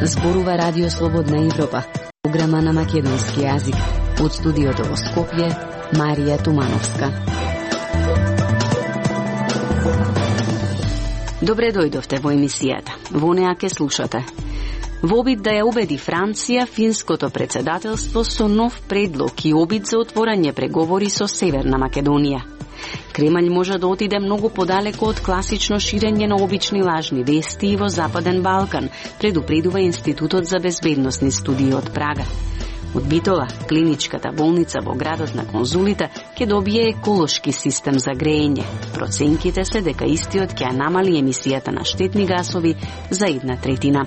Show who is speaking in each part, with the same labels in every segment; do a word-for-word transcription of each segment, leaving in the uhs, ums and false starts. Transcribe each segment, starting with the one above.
Speaker 1: Зборува Радио Слободна Европа, програма на македонски јазик. Од студиото во Скопје, Марија Тумановска. Добре дојдовте во емисијата. Во неа ке слушате. Во обид да ја убеди Франција, финското председателство со нов предлог и обид за отворање преговори со Северна Македонија. Кремљ може да отиде многу подалеку од класично ширење на обични лажни вести и во Западен Балкан, предупредува Институтот за безбедносни студии од Прага. Од Битола, клиничката болница во градот на конзулите ќе добие еколошки систем за грејење. Проценките се дека истиот ќе намали емисијата на штетни гасови за една третина.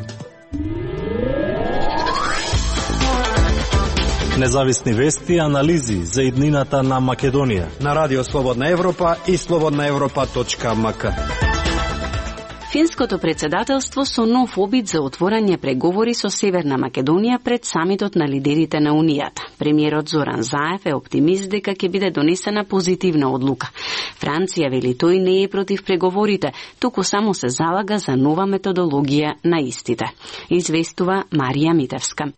Speaker 2: Независни вести и анализи за иднината на Македонија
Speaker 3: на Радио Слободна Европа и слободна европа точка ем ка.
Speaker 1: Финското председателство со нов обид за отворање преговори со Северна Македонија пред самитот на лидерите на Унијата. Премиерот Зоран Заев е оптимист дека ќе биде донесена позитивна одлука. Франција вели тој не е против преговорите, туку само се залага за нова методологија на истите. Известува Марија Митевска.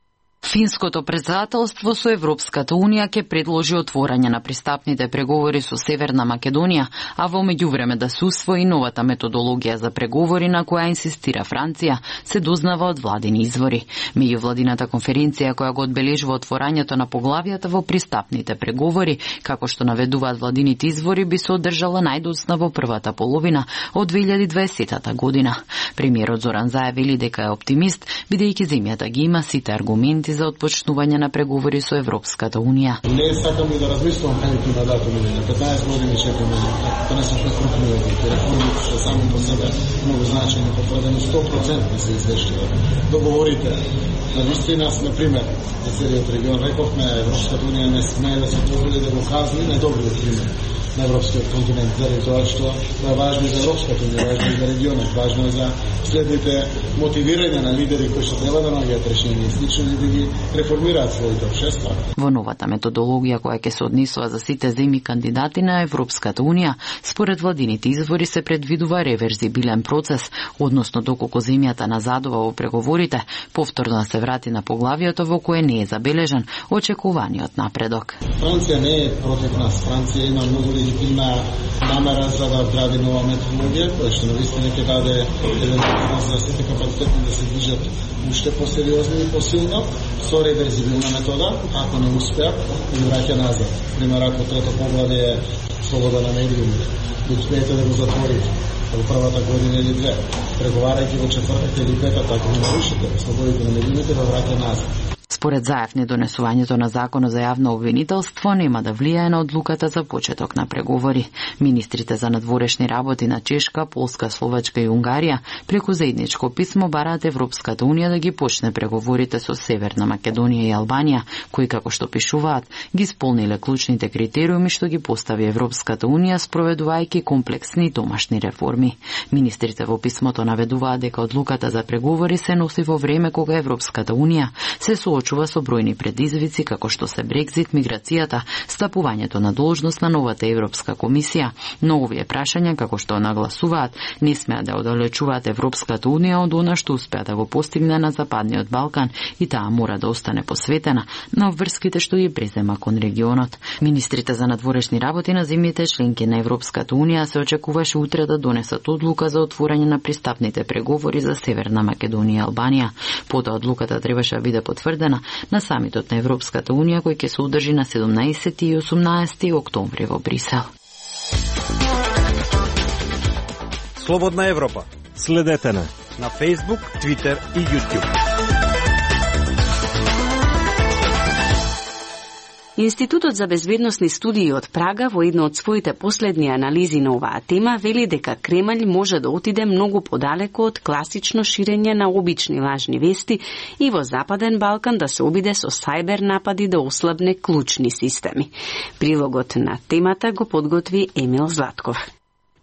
Speaker 4: Финското председателство со Европската Унија ќе предложи отворање на пристапните преговори со Северна Македонија, а во меѓувреме да се усвои новата методологија за преговори на која инсистира Франција, се дознава од владини извори. Меѓувладината конференција која го одбележува отворањето на поглавијата во пристапните преговори, како што наведуваат владините извори, би се одржала најдоцна во првата половина од две илјади и дваесета година. Премиерот Зоран Заев вели дека е оптимист, бидејќи земјата ги има сите аргументи за отпочнување на преговори со Европската Унија.
Speaker 5: Не сакам и да размислувам кај на датуми, на петнаесет години чекаме, тоа не се преструктурирани. Реформите се само по себе многу значајни, потврдени сто проценти се извештува. Договорите на вистина, на пример, за целиот регион рековме, Европската Унија не смее да се позволи да го казни најдобриот пример на европскиот континент, заради тоа што тоа е важно и за Европската Унија, важно и за регионот, важно и за следните мотивирање на лидери кои што треба да наоѓаат решение, слично и да ги реформираат своите општества.
Speaker 4: Во новата методологија која ќе се однесува за сите земји кандидати на Европската Унија, според владините извори се предвидува реверзибилен процес, односно доколку земјата назадува во преговорите, повторно се врати на поглавието во кое не е забележан очекуваниот напредок.
Speaker 5: Франција не е против нас. Франција има многу легитимна намера за да вгради нова методологија, која што навистина ќе даде еден принос за сите капацитети да се движат уште посериозно и посилно, со реверзибилна метода, ако не успеа, ги враќа назад. Пример, ако трето поглавје е слобода на медиумите, да успеете да го затворите во првата година или две, преговарајќи во четвртата или петата, ако не нарушите слободите на медиумите, да враќа назад.
Speaker 4: Според Заев, недонесувањето на законот за јавно обвинителство нема да влијае на одлуката за почеток на преговори. Министрите за надворешни работи на Чешка, Полска, Словачка и Унгарија преку заедничко писмо бараат Европската Унија да ги почне преговорите со Северна Македонија и Албанија, кои, како што пишуваат, ги исполниле клучните критериуми што ги постави Европската Унија спроведувајќи комплексни домашни реформи. Министрите во писмото наведуваат дека одлуката за преговори се носи во време кога Европската Унија се соочува со бројни предизвици како што се Брекзит, миграцијата, стапувањето на должност на новата Европска комисија, но овие прашања, како што нагласуваат, не смеа да оддалечуваат Европската Унија од она што успеа да го постигне на Западниот Балкан и таа мора да остане посветена на обврските што ги презема кон регионот. Министрите за надворешни работи на земјите членки на Европската Унија се очекуваше утре да донесат одлука за отворање на пристапните преговори за Северна Македонија и Албанија. Потоа одлуката требаше да биде потврдена на самитот на Европската Унија кој ќе се одржи на седумнаесети и осумнаесети октомври во Брисел.
Speaker 3: Слободна Европа.
Speaker 2: Следете на
Speaker 3: на Facebook, Twitter и YouTube.
Speaker 1: Институтот за безбедносни студии од Прага во една од своите последни анализи на оваа тема вели дека Кремљ може да отиде многу подалеку од класично ширење на обични лажни вести и во Западен Балкан да се обиде со сајбер напади да ослабне клучни системи. Прилогот на темата го подготви Емил Златков.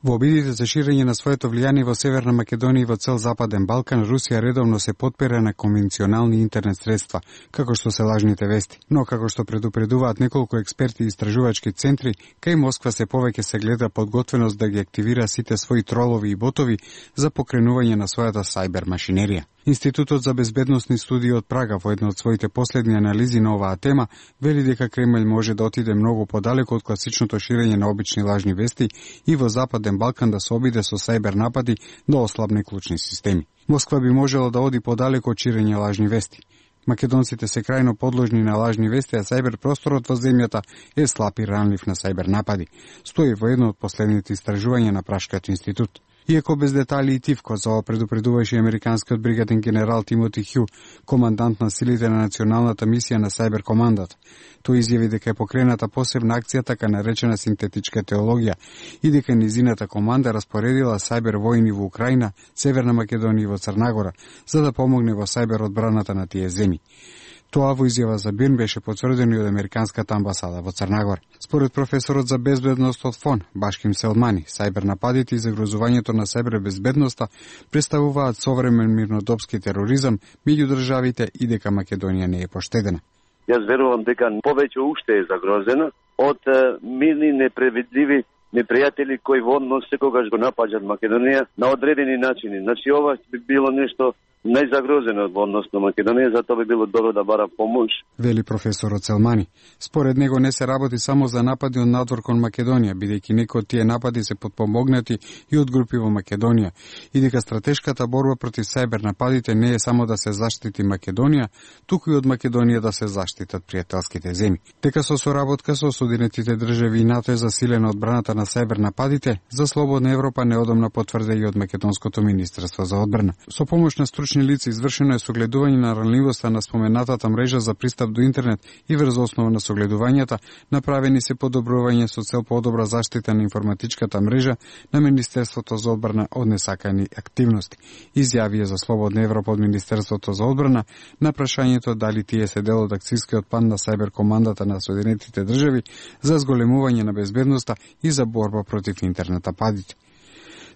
Speaker 6: Во обидите за ширење на своето влијание во Северна Македонија и во цел Западен Балкан, Русија редовно се потпира на конвенционални интернет средства, како што се лажните вести. Но, како што предупредуваат неколку експерти и истражувачки центри, кај Москва се повеќе се гледа подготвеност да ги активира сите своји тролови и ботови за покренување на својата сајбер машинерија. Институтот за безбедносни студии од Прага во една од своите последни анализи на оваа тема вели дека Кремљ може да отиде многу подалеку од класичното ширење на обични лажни вести и во Западен Балкан да се обиде со сајбер напади да ослабне клучни системи. Москва би можела да оди подалеку од ширење лажни вести. Македонците се крајно подложни на лажни вести, а сајбер просторот во земјата е слаб и ранлив на сајбер напади, стои во едно од последните истражувања на Прашкиот институт. Иако без детали и тивко, за ова предупредуваше американскиот бригаден генерал Тимоти Хју, командант на силите на националната мисија на Сајбер командата. Тој изјави дека е покрената посебна акција, така наречена синтетичка теологија, и дека низината команда распоредила сајбер војни во Украина, Северна Македонија и во Црнагора, за да помогне во сајбер одбраната на тие земји. Тоа во изјава за Бирн беше потврдено и од американската амбасада во Црнагора. Според професорот за безбедност од ФОН, Башким Селмани, сајбер нападите и загрозувањето на сајбер безбедноста представуваат современ мирнодопски тероризам меѓу државите и дека Македонија не е поштедена.
Speaker 7: Јас верувам дека повеќе уште е загрозена од мирни, непредвидливи непријатели кои водно секогаш го напаѓаат Македонија на одредени начини. Значи ова би било нешто најзагрозено од однос на Македонија, затоа би било добро да бара помош.
Speaker 6: Вели професорот Селмани. Според него не се работи само за напади од надвор кон Македонија, бидејќи некои од тие напади се потпомогнати и од групи во Македонија, и дека стратешката борба против сајбер нападите не е само да се заштити Македонија, туку и од Македонија да се заштитат пријателските земји. Дека со соработка со Соединетите држави и НАТО е засилена одбраната на сајбер нападите, за слободна Европа неодамна потврде и од Македонското министерство за одбрана. Со помош на стручни лица извршено е согледување на ранливоста на споменатата мрежа за пристап до интернет и врз основа на согледувањата направени се подобрување со цел подобра заштита на информатичката мрежа на Министерството за одбрана од несакани активности. Изјавија за Слободна Европа од Министерството за одбрана на прашањето дали тие се дел од акцијскиот план на сајбер командата на Соединетите држави за зголемување на безбедноста и за борба против интернет нападите.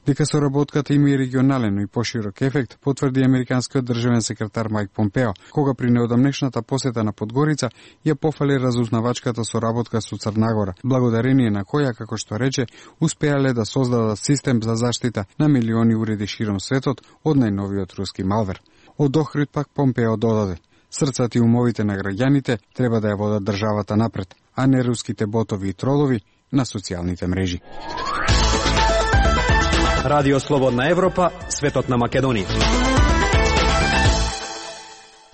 Speaker 6: Дека соработката има и регионален, но и поширок ефект, потврди американскиот државен секретар Мајк Помпео, кога при неодамнешната посета на Подгорица ја пофали разузнавачката соработка со Црнагора, благодарение на која, како што рече, успеале да создадат систем за заштита на милиони уреди широм светот од најновиот руски малвер. Од Охрид пак Помпео додаде: срцата и умовите на граѓаните треба да ја водат државата напред, а не руските ботови и тролови на социјалните мрежи.
Speaker 3: Радио Слободна Европа, светот на Македонија.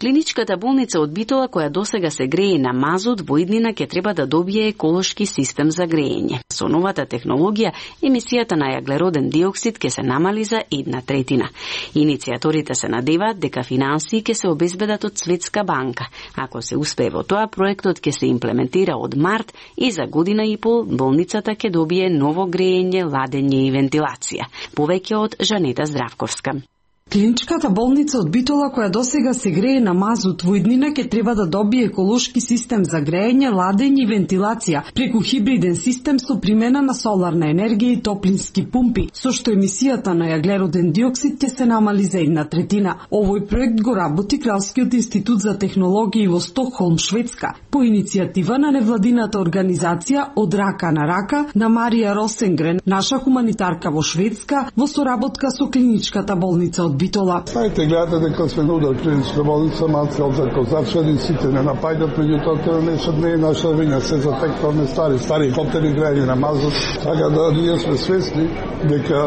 Speaker 1: Клиничката болница од Битола, која досега се грее на мазут, во иднина ќе треба да добие еколошки систем за греење. Со новата технологија, емисијата на јаглероден диоксид ќе се намали за една третина. Иницијаторите се надеваат дека финансии ќе се обезбедат од Светска банка. Ако се успее во тоа, проектот ќе се имплементира од март и за година и пол болницата ќе добие ново греење, ладење и вентилација. Повеќе од Жанета Здравковска.
Speaker 8: Клиничката болница од Битола, која досега се грее на мазут во иднина, ќе треба да добие еколошки систем за греење, ладење и вентилација преку хибриден систем со примена на соларна енергија и топлински пумпи, со што емисијата на јаглероден диоксид ќе се намали за една третина. Овој проект го работи Кралскиот институт за технологии во Стокхолм, Шведска, по иницијатива на невладината организација Од рака на рака на Марија Росенгрен, наша хуманитарка во Шведска, во соработка со клиничката болница од Битола.
Speaker 9: Знаете, гледате дека сме на удар клиничка болница, малце од закозачени, сите не напаѓат, меѓутоа тоа не, не е наша вина, се затекваме стари, стари хотели грејани на мазут, така да ние сме свесни дека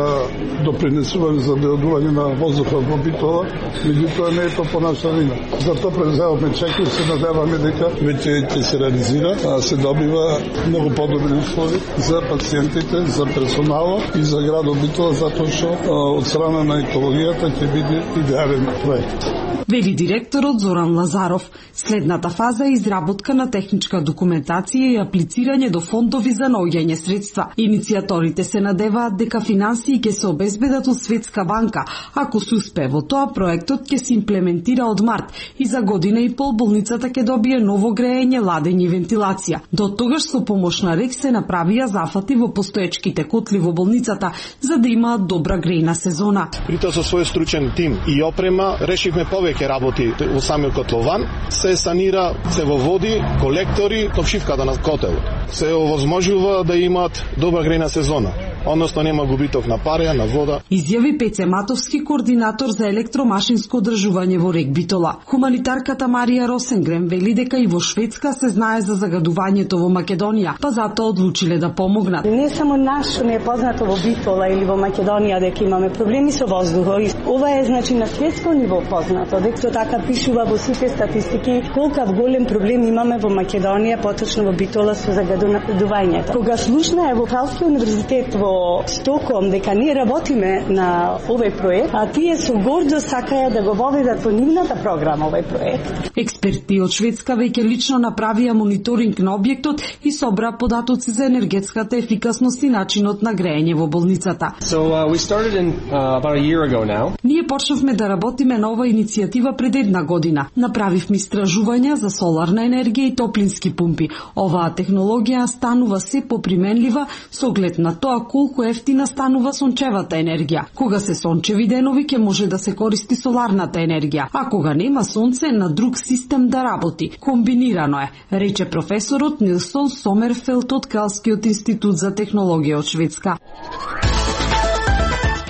Speaker 9: допринесуваме за дојдување на воздухот во Битола, меѓутоа не е тоа по наша вина. Затоа преземавме чек и се надеваме дека веќе ќе се реализира, а се добива многу подобри услови за пациентите, за персоналот и за градот Битола, затоа што од страна на екологијата ќе биде идеален проект.
Speaker 8: Вели директорот Зоран Лазаров. Следната фаза е изработка на техничка документација и аплицирање до фондови за наоѓање средства. Иницијаторите се надеваат дека финансии ќе се обезбедат од Светска банка. Ако се успее во тоа, проектот ќе се имплементира од март и за година и пол болницата ќе добие ново греење, ладење и вентилација. До тогаш со помош на РЕК се направија зафати во постоечките котли во болницата за да имаат добра грејна сезона.
Speaker 10: При тоа со свој стручен тим и опрема решивме повеќе работи во самиот котлован, се санира цевоводи, колектори, топшивката на котелот. Се овозможува да имаат добра грејна сезона. односно нема губиток на пареја, на вода.
Speaker 8: Изјави Пеце Матовски, координатор за електромашинско одржување во рек Битола. Хуманитарката Марија Росенгрем вели дека и во Шведска се знае за загадувањето во Македонија, па затоа одлучиле да помогнат.
Speaker 11: Не само наш не е познато во Битола или во Македонија дека имаме проблеми со воздухот. Ова е значи на светско ниво познато, дека тоа така пишува во сите статистики колку голем проблем имаме во Македонија, поточно во Битола со загадувањето. Кога слушна во Кралскиот универзитет во Стокхолм дека ние работиме на овој проект, а тие со гордост сакаја да го воведат во нивната програма овој проект.
Speaker 8: Експерти од Шведска веќе лично направија мониторинг на објектот и собра податоци за енергетската ефикасност и начинот на грејење во болницата.
Speaker 12: So uh, we started in uh, about a year ago now.
Speaker 8: Ние почнавме да работиме на оваа иницијатива пред една година. Направивме истражувања за соларна енергија и топлински пумпи. Оваа технологија станува се поприменлива со оглед на тоа колку ефтина станува сончевата енергија. Кога се сончеви денови ќе може да се користи соларната енергија, а кога нема сонце на друг систем да работи. Комбинирано е, рече професорот Нилсон Сомерфелд од Кралскиот институт за технологија од Шведска.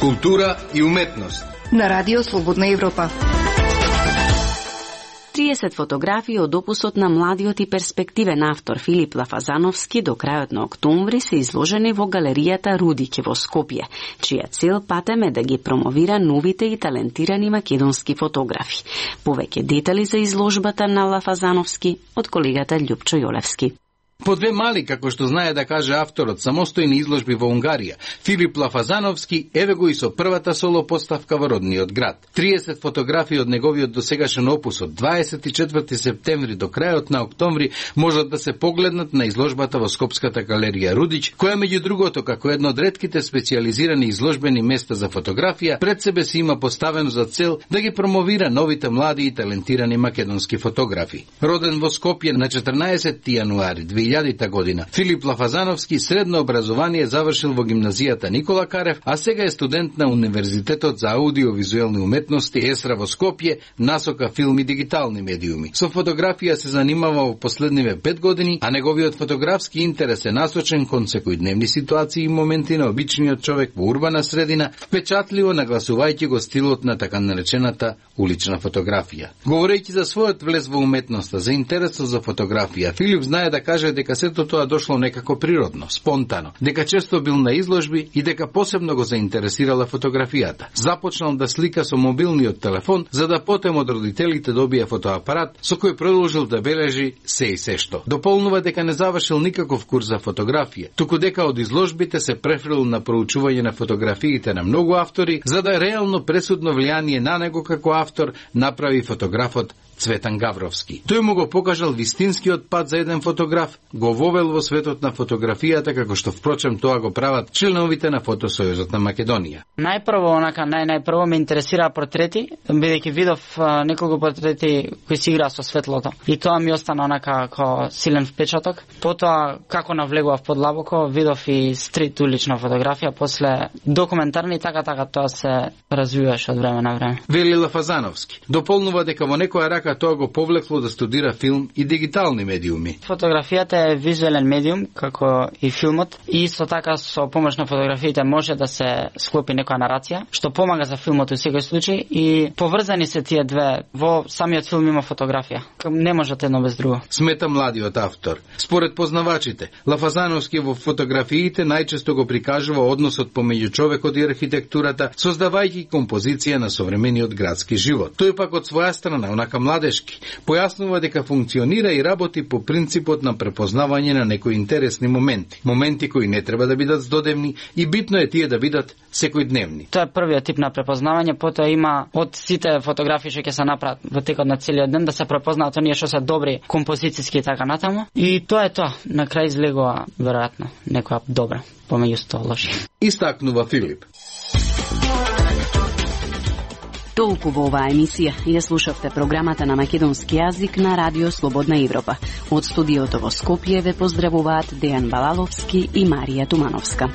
Speaker 13: Култура и уметност
Speaker 14: на Радио Слободна Европа.
Speaker 1: триесет фотографии од опусот на младиот и перспективен автор Филип Лафазановски до крајот на октомври се изложени во галеријата Рудиќ во Скопје, чија цел патем е да ги промовира новите и талентирани македонски фотографи. Повеќе детали за изложбата на Лафазановски од колегата Љупчо Јолевски.
Speaker 13: По две мали, како што знае да каже авторот, самостојни изложби во Унгарија, Филип Лафазановски еве го и со првата соло поставка во родниот град. триесет фотографии од неговиот досегашен опус од дваесет и четврти септември до крајот на октомври можат да се погледнат на изложбата во Скопската галерија Рудиќ, која меѓу другото како едно од ретките специјализирани изложбени места за фотографија пред себе си има поставено за цел да ги промовира новите млади и талентирани македонски фотографи. Роден во Скопје на четрнаесетти јануари две илјадита година, Филип Лафазановски средно образование завршил во гимназијата Никола Карев, а сега е студент на Универзитетот за аудиовизуелни уметности ЕСРА во Скопје, насока филм и дигитални медиуми. Со фотографија се занимава во последниве пет години, а неговиот фотографски интерес е насочен кон секојдневни ситуации и моменти на обичниот човек во урбана средина, впечатливо нагласувајќи го стилот на така наречената улична фотографија. Говорејќи за својот влез во уметноста, за интересот за фотографија, Филип знае да каже дека сето тоа дошло некако природно, спонтано, дека често бил на изложби и дека посебно го заинтересирала фотографијата. Започнал да слика со мобилниот телефон, за да потем од родителите добие фотоапарат со кој продолжил да бележи се и се што. Дополнува дека не завршил никаков курс за фотографија, туку дека од изложбите се префрил на проучување на фотографиите на многу автори, за да реално пресудно влијание на него како автор направи фотографот Цветан Гавровски. Тој му го покажал вистинскиот пат за еден фотограф, го вовел во светот на фотографијата, како што впрочем тоа го прават членовите на Фотосојузот на Македонија.
Speaker 15: Најпрво, онака, нај, најпрво ме интересира портрети, бидејќи видов а, неколку портрети кои си играа со светлото. И тоа ми остана онака како силен впечаток. Потоа, како навлегував подлабоко, видов и стрит улична фотографија, после документарни, така така тоа се развиваше од време на време.
Speaker 13: Вели Лафазановски. Дополнува дека во некоја рака тоа го повлекло да студира филм и дигитални медиуми.
Speaker 15: Фотографијата е визуелен медиум, како и филмот, и исто така со помош на фотографиите може да се склопи некоја нарација, што помага за филмот во секој случај, и поврзани се тие две. Во самиот филм има фотографија. Не можат едно без друго.
Speaker 13: Смета младиот автор. Според познавачите, Лафазановски во фотографиите најчесто го прикажува односот помеѓу човекот и архитектурата, создавајќи композиција на современиот градски живот. Тој пак од своја страна, онака младешки, појаснува дека функционира и работи по принципот на препознавање на некои интересни моменти. Моменти кои не треба да бидат здодевни и битно е тие да бидат секојдневни.
Speaker 15: Тоа е првиот тип на препознавање, потоа има од сите фотографии што ќе се направат во текот на целиот ден да се препознаат оние што се добри композициски и така натаму. И тоа е тоа. На крај излегува веројатно некоја добра помеѓу сто лоши.
Speaker 13: Истакнува Филип.
Speaker 1: Толку во оваа емисија. Ја слушавте програмата на македонски јазик на Радио Слободна Европа. Од студиото во Скопје ве поздравуваат Дејан Балаловски и Марија Тумановска.